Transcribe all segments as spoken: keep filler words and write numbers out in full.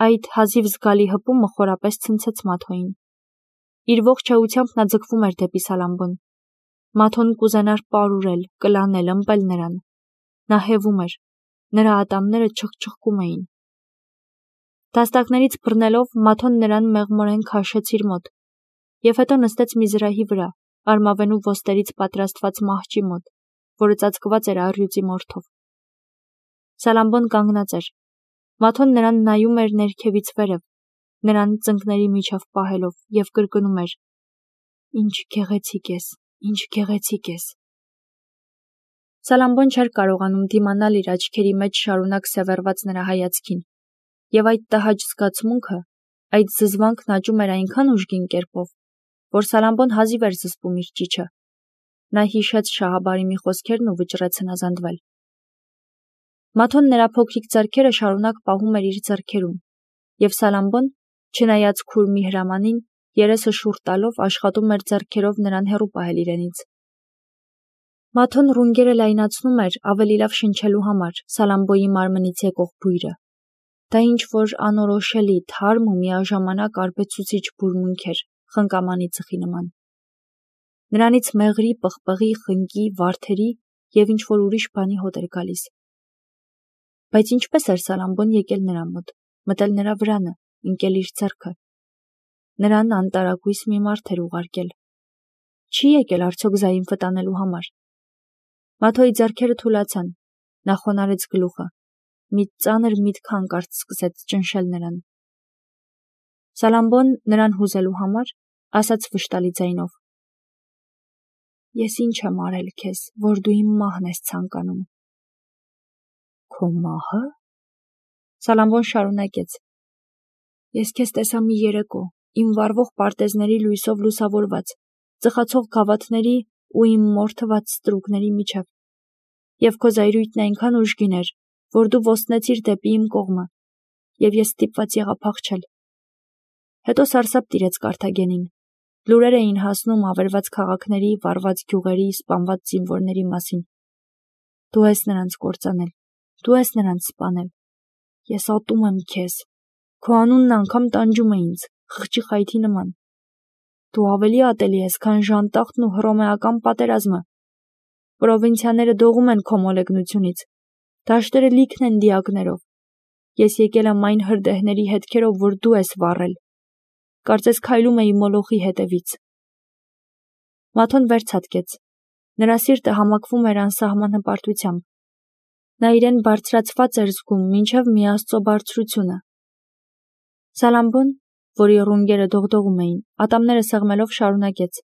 Այդ հազիվ զգալի հպումը խորապես ցնցեց Մաթոյին։ Իր ողջ էությամբ նա ձգվում էր դեպի Սալամբոն։ Մաթոն կուզենար պարուրել, կլանել, ըմպել նրան։ Նա հևում էր, նրա ատամները չխչխկում էին։ Դաստակներից բռնելով Մաթոն նրան մեղմորեն քաշեց իր մոտ և հետո նստեց մի զրահի վրա, արմավենու ոստերից պատրաստված մահճի մոտ, որը ծածկված էր առյուծի մորթով։ Սալամբոն կանգնած էր։ Մաթոն նրան նայում էր ներքևից վերև, նրան ծնկների միջև պահելով և կրկնում էր. «Ինչ գեղեցիկ ես, ինչ գեղեցիկ ես»։ Սալամբոն չէր կարողանում դիմանալ իր աչքերի մեջ շարունակ սևեռված նրա հայացքին, և այդ տհաճ զգացմունքը, այդ զզվանքն աճում էր այնքան ուժգին կերպով, որ Սալամբոն հազիվ էր զսպում իր ճիչը։ Նա հիշեց Շահաբարիմի խոսքերն ու վճռեց հնազանդվել։ Մաթոն նրա փոքրիկ ձեռքերը շարունակ պահում էր իր ձեռքերում, և Սալամբոն, չնայած քուրմի հրամանին, երեսը շուռ տալով աշխատում էր ձեռքերով նրան հեռու պահել իրենից։ Մաթոն ռունգերը լայնացնում էր ավելի լավ շնչելու համար Սալամբոյի մարմնից եկող բույրը։ Դա ինչ-որ անորոշելի, թարմ ու միաժամանակ արբեցուցիչ բուրմունք էր, խնկամանի ծխի նման։ Նրանից մեղրի, պղպղի, խնկի, վարդերի և ինչ-որ ուրիշ բանի հոտ էր գալիս։ Բայց ինչպես էր Սալամբոն եկել նրա մոտ, մտել նրա վրանը, ընկել իր ձեռքը։ Նրան անտարակույս մի մարդ էր ուղարկել։ Չի եկել արդյոք Զայինֆը տանելու համար։ Մաթոյի ձեռքերը թուլացան, նա խոնարհեց գլուխը, մի ծանր միտք հանկարծ սկսեց ճնշել նրան։ Սալամբոն նրան հուզելու համար ասաց վշտալի ձայնով. «Ես ինչ եմ արել քեզ, որ դու իմ մահն ես ցանկանում»։ «Քո մահը»։ Սալամբոն շարունակեց. «Ես քեզ տեսա մի երեկո, իմ վառվող պարտեզների լույսով լուսավորված, ծխացող գավաթների ու իմ մորթված ստրուկների միջև, և քո զայրույթն այնքան ուժգին էր, որ դու ոստնեցիր դեպի իմ կողմը, և ես ստիպված եղա փախչել։ Հետո սարսափ տիրեց Կարթագենին, լուրեր էին հասնում ավերված քաղաքների, վառված գյուղերի, սպանված զինվորների մասին։ Դու ես նրանց կործանել, դու ես նրանց սպանել։ Ես ատում եմ քեզ, քո անունն անգամ տանջում է ինձ, խղճի խայթի նման։ Դու ավելի ատելի ես, քան Ժանտախտն ու Հռոմեական պատերազմը։ Պրովինցիաները դողում են քո մոլեգնությունից, դաշտերը լիքն են դիակներով։ Ես եկել եմ այն հրդեհների հետքերով, որ դու ես վառել։ Կարծես քայլում էի Մոլոխի հետևից»։ Մաթոն վեր ցատկեց։ Նրա սիրտը համակվում էր անսահման հպարտությամբ։ Նա իրեն բարձրացված էր զգում մինչև մի Աստծո բարձրությունը։ Սալամբոն, որի ռունգերը դողդողում էին, ատամները սեղմելով շարունակեց.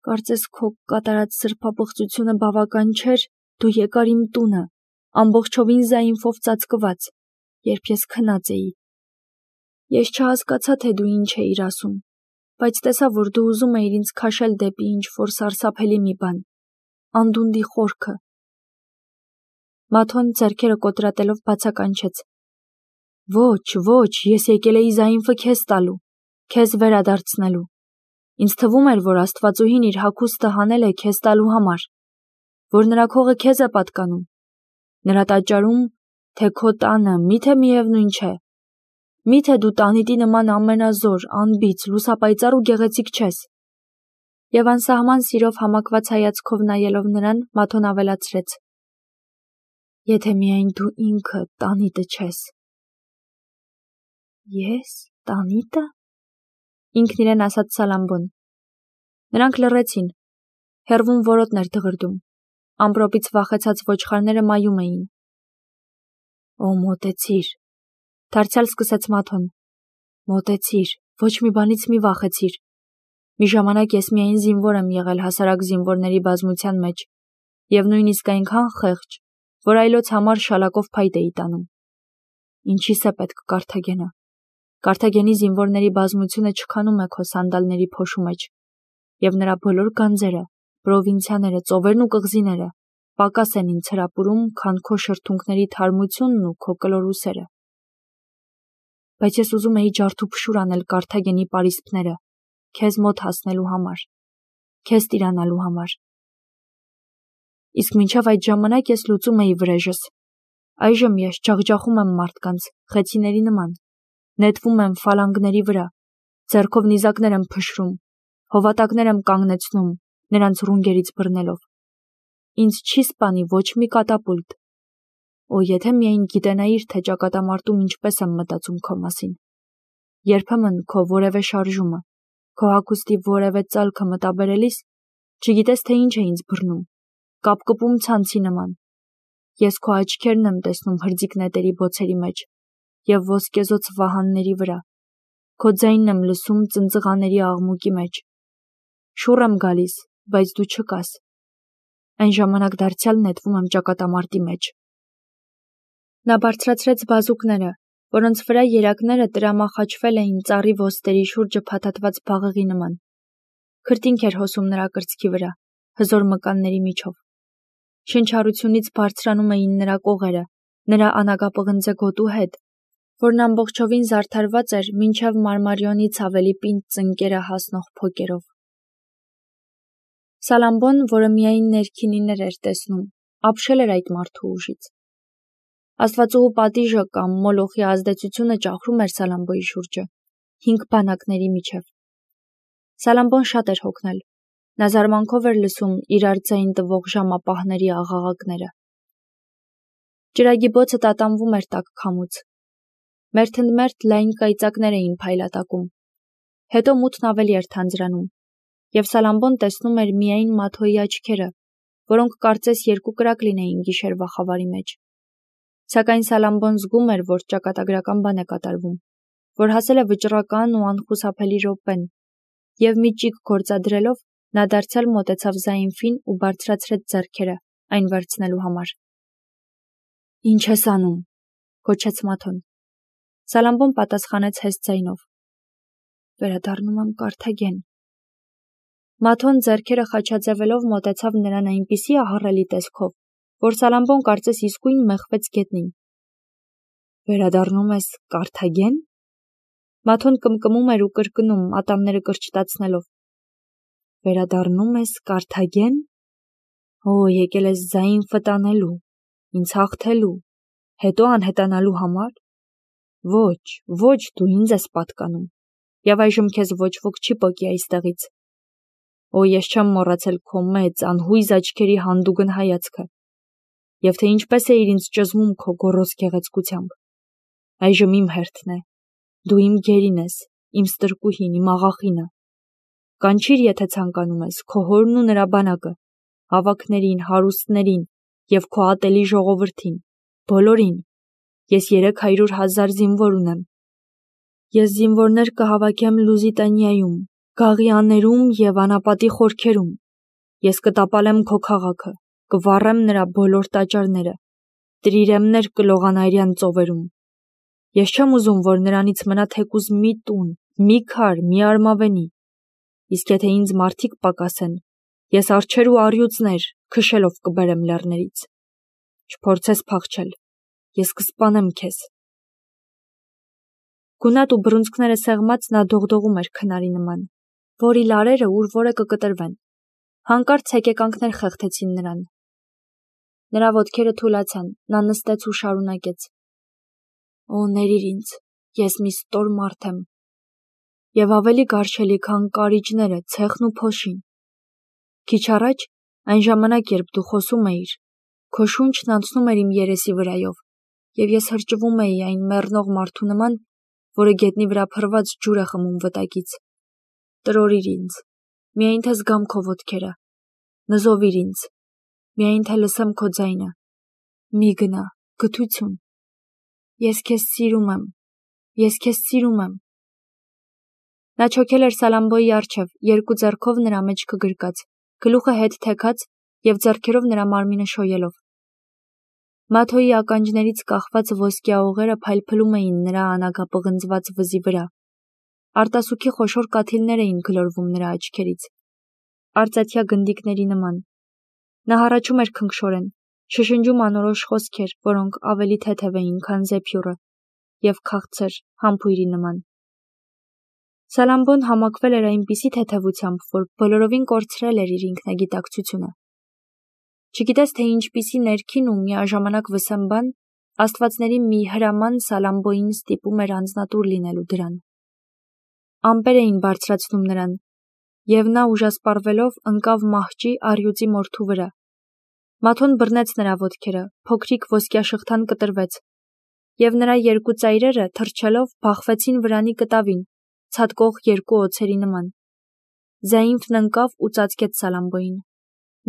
«Կարծես քո կատարած սրբապղծությունը բավական չէր, դու եկար իմ տունը, ամբողջովին Զայինֆով ծածկված, երբ ես քնած էի։ Ես չհասկացա, թե դու ինչ էիր ասում, բայց տեսա, որ դու ուզում էիր ինձ քաշել դեպի ինչ-որ սարսափելի մի բան, անդունդի խորքը»։ Մաթոն ձեռքերը կոտրատելով բացականչեց. «Ոչ, ոչ, ես եկել էի Զայինֆը քեզ տալու, քեզ վերադարձնելու։ Ինձ թվում էր, որ Աստվածուհին իր հագուստը հանել է քեզ տալու համար, որ նրա քողը քեզ է պատկանում։ Նրա տաճարում, թե քո տանը, միթե միևնույն չէ։ Միթե դու տանիտի նման ամենազոր, անբիծ, լուսապայծառ ու գեղեցիկ չես»։ Եվ անսահման սիրով համակված հայացքով նայելով նրան, Մաթոն ավելացրեց. «Եթե միայն դու ինքը տանիտը չես»։ «Ես տանիտը»։ Ինքն իրեն ասաց Սալամբոն։ Նրանք լռեցին։ Հեռվում որոտն էր դղրդում։ Ամպրոպից վախեցած ոչխարները մայում էին։ «Օ, մոտեցիր», դարձյալ սկսեց Մաթոն։ «Մոտեցիր, ոչ մի բանից մի վախեցիր։ Մի ժամանակ ես միայն զինվոր եմ եղել հասարակ զինվորների բազմության մեջ, և նույնիսկ այնքան խեղճ, որ այլոց համար շալակով փայտ էի տանում։ Ինչի՞ս է պետք Կարթագենը։ Կարթագենի զինվորների բազմությունը չքանում է քո սանդալների փոշու մեջ, և նրա բոլոր գանձերը, պրովինցիաները, ծովերն ու կղզիները պակաս են ինձ հրապուրում, քան քո շրթունքների թարմությունն ու քո կլոր ուսերը։ Բայց ես ուզում էի ջարդուփշուր անել Կարթագենի պարիսպները, քեզ մոտ հասնելու համար, քեզ տիրանալու համար։ Իսկ մինչև այդ ժամանակ ես լուծում էի վրեժս։ Այժմ ես ջախջախում եմ մարդկանց, խեցիների նման, նետվում եմ ֆալանգների վրա, ձեռքով նիզակներ եմ փշրում, հովատակներ եմ կանգնեցնում, նրանց ռունգերից բռնելով։ Ինձ չի սպանի ոչ մի կատապուլտ։ Օ, եթե միայն գիտենայիր, թե ճակատամարտում ինչպես եմ մտածում քո մասին։ Երբեմն քո որևէ շարժումը, քո հագուստի որևէ ծալքը մտաբերելիս, չգիտես թե ինչ է ինձ բռնում, կապկպում ցանցի նման։ Ես քո աչքերն եմ տեսնում հրձիկ նետերի բոցերի մեջ և ոսկեզօծ վահանների վրա, քո ձայնն եմ լսում ծնծղաների աղմուկի մեջ։ Շուռ եմ գալիս, բայց դու չկաս։ Այն ժամանակ դարձյալ նետվում եմ ճակատամարտի մեջ։ Նա բարձրացրեց բազուկները, որոնց վրա երակները տրամախաչվել էին ծառի ոստերի շուրջը փաթաթված բաղեղի նման։ Քրտինք էր հոսում նրա կրծքի վրա, հզոր մկանների միջով։ Շնչառությունից բարձրանում էին նրա կողերը, նրա անագապղնձե գոտու հետ, որն ամբողջովին զարդարված էր մինչև մարմարիոնից ավելի պինդ ծնկերը հասնող փոկերով։ Սալամբոն, որը միայն ներքինիներ էր տեսնում, ապշել էր այդ մարդու ուժից։ Աստվածուհու պատիժը կամ մոլոխի ազդեցությունը ճախրում էր Սալամբոյի շուրջը, հինգ բանակների միջև։ Սալամբոն շատ էր հոգնել։ Նա զարմանքով էր լսում իրար ձայն տվող ժամապահների աղաղակները։ Ջրագի բոցը տատանվում էր տաք քամուց։ Մերթընդմերթ լայն կայծակներ էին փայլատակում։ Հետո մութն ավելի էր թանձրանում, և Սալամբոն տեսնում էր միայն Մաթոյի աչքերը, որոնք կարծես երկու կրակ լինեին գիշերվա խավարի մեջ։ Սակայն Սալամբոն զգում էր, որ ճակատագրական բան է կատարվում, որ հասել է վճռական ու անխուսափելի րոպեն, և մի ճիգ գործադրելով նա դարձյալ մոտեցավ Զայինֆին ու բարձրացրեց ձեռքերը, այն վերցնելու համար։ «Ինչ ես անում», գոչեց Մաթոն։ Սալամբոն պատասխանեց հեստ ձայնով. «Վերադառնում եմ Կարթագեն»։ Մաթոն ձեռքերը խաչաձևելով մոտեցավ նրան այնպիսի ահռելի տեսքով, որ Սալամբոն կարծես իսկույն մեխվեց գետնին։ «Վերադառնում ես Կարթագեն»։ Մաթոն կմկմում էր ու կրկնում, ատամները կրճտացնելով։ «Վերադառնում ես Կարթագեն։ Օ, եկել ես Զայինֆը տանելու, ինձ հաղթելու, հետո անհետանալու համար։ Ոչ, ոչ, դու ինձ ես պատկանում, և այժմ քեզ ոչ ոք չի պոկի այստեղից։ Օ, ես չեմ մոռացել քո մեծ, անհույզ աչքերի հանդուգն հայացքը, և թե ինչպես էիր ինձ ճզմում քո գոռոզ գեղեցկությամբ։ Այժմ իմ հերթն է, դու իմ գերին ես, իմ ստրկուհին, իմ աղախինը։ Կանչիր, եթե ցանկանում ես, քո հորն ու նրա բանակը, ավագներին, հարուստներին և քո ատելի ժողովրդին, բոլորին։ Ես երեք հարյուր հազար զինվոր ունեմ։ Ես զինվորներ կհավաքեմ Լուզիտանիայում, Գաղիաներում և անապատի խորքերում։ Ես կտապալեմ քո քաղաքը, կվառեմ նրա բոլոր տաճարները, տրիրեմներ կլողան արյան ծովերում։ Ես չեմ ուզում, որ նրանից մնա թեկուզ մի տուն, մի քար, մի արմավենի։ Իսկ եթե ինձ մարդիկ պակասեն, ես արջեր ու առյուծներ քշելով կբերեմ լեռներից։ Չփորձես փախչել, ես կսպանեմ քեզ։ Գունատ ու բռունցքները սեղմած նա դողդողում էր քնարի նման, որի լարերը ուր որ է կկտրվեն։ Հանկարծ հեկեկանքներ խեղդեցին նրան։ Նրա ոտքերը թուլացան, նա նստեց ու շարունակեց. «Օ, ներիր ինձ, ես մի ստոր մարդ եմ, և ավելի գարշելի, քան կարիճները, ցեխն ու փոշին։ Քիչ առաջ, այն ժամանակ, երբ դու խոսում էիր, քո շունչն անցնում էր իմ երեսի վրայով, և ես հրճվում էի այն մեռնող մարդու նման, որը գետնի վրա փռված ջուր է խմում վտակից։ Տրորիր ինձ, միայն թե զգամ քո ոտքերը, նզովիր ինձ, միայն թե լսեմ քո ձայնը։ Մի գնա, գթություն։ Ես քեզ սիրում եմ, ես քեզ սիրում եմ»։ Նա չոքել էր Սալամբոյի առջև, երկու ձեռքով նրա մեջքը գրկած, գլուխը հետ թեքած և ձեռքերով նրա մարմինը շոյելով։ Մաթոյի ականջներից կախված ոսկյա օղերը փայլփլում էին նրա անագապղնձված վզի վրա։ Արտասուքի խոշոր կաթիլներ էին գլորվում նրա աչքերից, արծաթյա գնդիկների նման։ Նա հառաչում էր քնքշորեն, շշնջում անորոշ խոսքեր, որոնք ավելի թեթև էին, քան զեփյուռը, և քաղցր, համբույրի նման։ Սալամբոն համակվել էր այնպիսի թեթևությամբ, որ բոլորովին կորցրել էր իր ինքնագիտակցությունը։ Չգիտես, թե ինչպիսի ներքին ու միաժամանակ վսեմ բան Աստվածների մի հրաման Սալամբոին ստիպում էր անձնատուր լինելու դրան։ Ամպեր էին բարձրացնում նրան, և նա ուժասպառվելով ընկավ մահճի առյուծի մորթու վրա։ Մաթոն բռնեց նրա ոտքերը, փոքրիկ ոսկյաշղթան կտրվեց, և նրա երկու ծայրերը թռչելով բախվեցին վրանի կտավին, ցատկող երկու օձերի նման։ Զայինֆն ընկավ ու ծածկեց Սալամբոին։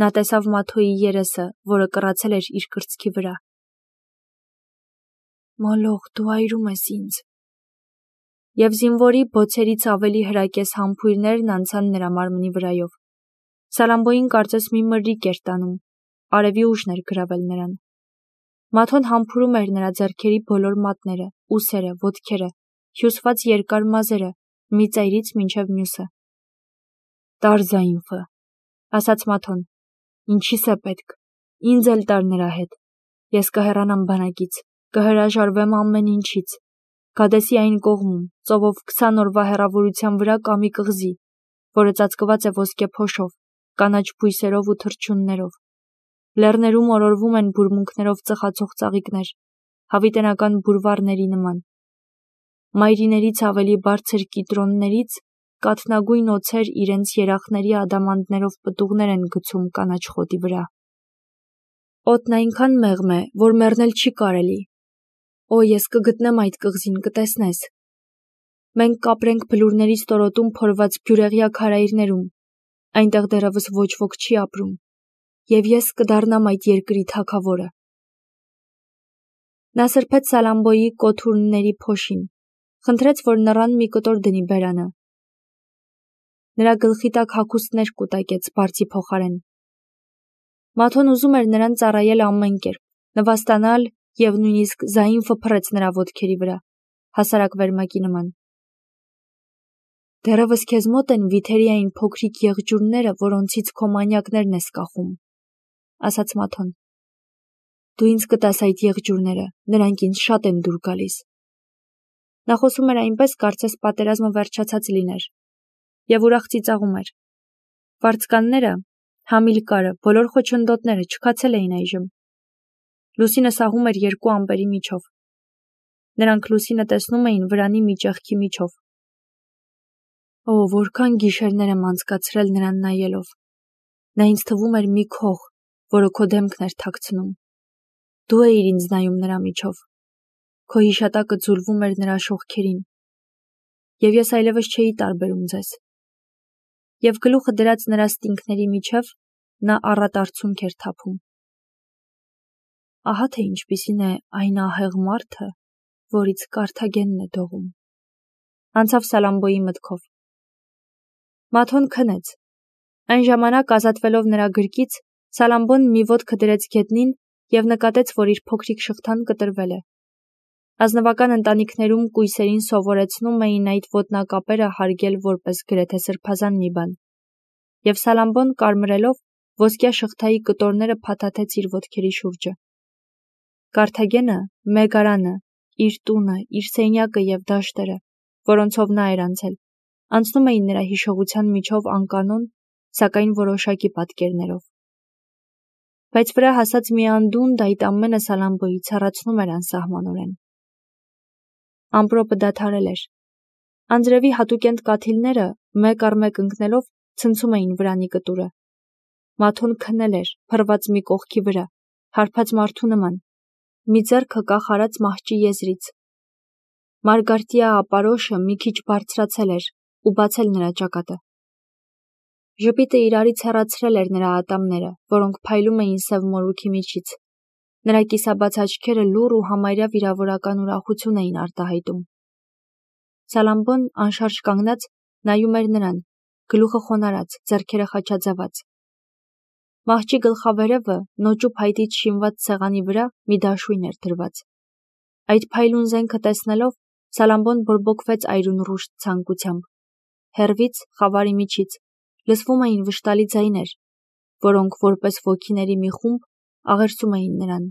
Նա տեսավ Մաթոյի երեսը, որը կռացել էր իր կրծքի վրա։ Մոլոխ, դու այրում ես ինձ։ Եվ զինվորի բոցերից ավելի հրակես համբույրներն անցան նրա մարմնի վրայով։ Սալամբոին կարծես մի մրրիկ էր տանում, արևի ուժն էր գրավել նրան։ Մաթոն համբուրում էր նրա ձեռքերի բոլոր մատները, ուսերը, ոտքերը, հյուսված երկար մազերը, մի ծայրից մինչև մյուսը։ Տար Զայինֆը, ասաց Մաթոն, ինչի՞ս է պետք, ինձ էլ տար նրա հետ, ես կհեռանամ բանակից, կհրաժարվեմ ամեն ինչից, Գադեսի այն կողմում, ծովով քսան օրվա հեռավորության վրա կա մի կղզի, որը ծածկված է ոսկե փոշով, կանաչ բույսերով ու թռչուններով։ Լեռներում օրորվում են բուրմունքներով ծխացող ծաղիկներ, հավիտենական բուրվառների նման։ Մայրիներից ավելի բարձր կիտրոններից կաթնագույն օձեր իրենց երախների ադամանդներով պտուղներ են գցում կանաչ խոտի վրա։ Օդն այնքան մեղմ է, որ մեռնել չի կարելի։ Օ, ես կգտնեմ այդ կղզին, կտեսնես։ Մենք կապրենք բլուրների ստորոտում փորված բյուրեղյա քարայրներում, այնտեղ դեռևս ոչ ոք չի ապրում, և ես կդառնամ այդ երկրի թագավորը։ Նա սրբեց Սալամբոյի կոթուրների փոշին, խնդրեց, որ նռան մի կտոր դնի բերանը։ Նրա գլխի տակ հագուստներ կուտակեց բարձի փոխարեն։ Մաթոն ուզում էր նրան ծառայել ամեն կերպ, նվաստանալ, և նույնիսկ Զայինֆը փռեց նրա ոտքերի վրա, հասարակ վերմակի նման։ Դեռևս քեզ մոտ են վիթերի այն փոքրիկ եղջյուրները, որոնցից քո մանյակներն ես կախում, ասաց Մաթոն։ Դու ինձ կտաս այդ եղջյուրները, նրանք ինձ շատ են դուր գալիս։ Նա խոսում էր այնպես, կարծես պատերազմը վերջացած լիներ, և ուրախ ծիծաղում էր։ Վարձկանները, Համիլկարը, բոլոր խոչընդոտները չքացել էին այժմ։ Լուսինը սաղում էր երկու ամպերի միջով։ Նրանք լուսինը տեսնում էին վրանի մի ճեղքի միջով։ Օ, որքան գիշերներ եմ անցկացրել նրան նայելով։ Նա ինձ թվում էր մի քող, որը քո դեմքն էր թաքցնում։ Դու էիր ինձ նայում նրա միջով։ Քո հիշատակը ձուլվում էր նրա շողքերին։ Եվ ես այլևս չէի տարբերում ձեզ։ Եվ գլուխը դրած նրա ստինքների միջև նա առատ արցունք էր թափում։ Ահա թե ինչպիսին է այն ահեղ մարդը, որից Կարթագենն է դողում։ Անցավ Սալամբոյի մտքով։ Մաթոն քնեց։ Այն ժամանակ ազատվելով նրա գրկից, Սալամբոն մի ոտքը դրեց գետնին և նկատեց, որ իր փոքրիկ շղթան կտրվել է։ Ազնվական ընտանիքներում կույսերին սովորեցնում էին այդ ոտնակապերը հարգել որպես գրեթե սրբազան մի բան։ Եվ Սալամբոն կարմրելով ոսկյա շղթայի կտորները փաթաթեց իր ոտքերի շուրջը։ Կարթագենը, Մեգարանը, իր տունը, իր սենյակը և դաշտերը, որոնցով նա էր անցել, անցնում էին նրա հիշողության միջով անկանոն, սակայն որոշակի պատկերներով։ Բայց վրա հասած մի անդունդ այդ ամենը Սալամբոյի ցառացնում էր անսահմանորեն։ Ամպրոպը դադարել էր։ Անձրևի հատուկենտ կաթիլները, մեկ առ մեկ ընկնելով, ցնցում էին վրանի կտուրը։ Մաթոն քնել էր, փռված մի կողքի վրա, հարբած մարդու նման, մի ձեռքը կախ արած մահճի եզրից։ Մարգարտիա ապարոշը մի քիչ բարձրացել էր ու բացել նրա ճակատը։ Ժպիտը իրարից հեռացրել էր նրա ատամները, որոնք փայլում էին սև մորուքի միջից։ Նրա կիսաբաց աչքերը լուռ ու համարյա վիրավորական ուրախություն էին արտահայտում։ Սալամբոն անշարժ կանգնած նայում էր նրան, գլուխը խոնարհած, ձեռքերը խաչաձևած։ Մահճի գլխավերևը նոճու փայտից շինված սեղանի վրա մի դաշույն էր դրված։ Այդ փայլուն զենքը տեսնելով, Սալամբոն բորբոքվեց այրունռուշտ ցանկությամբ։ Հեռվից, խավարի միջից, լսվում էին վշտալի ձայներ, որոնք որպես ոգիների մի խումբ աղերսում էին նրան։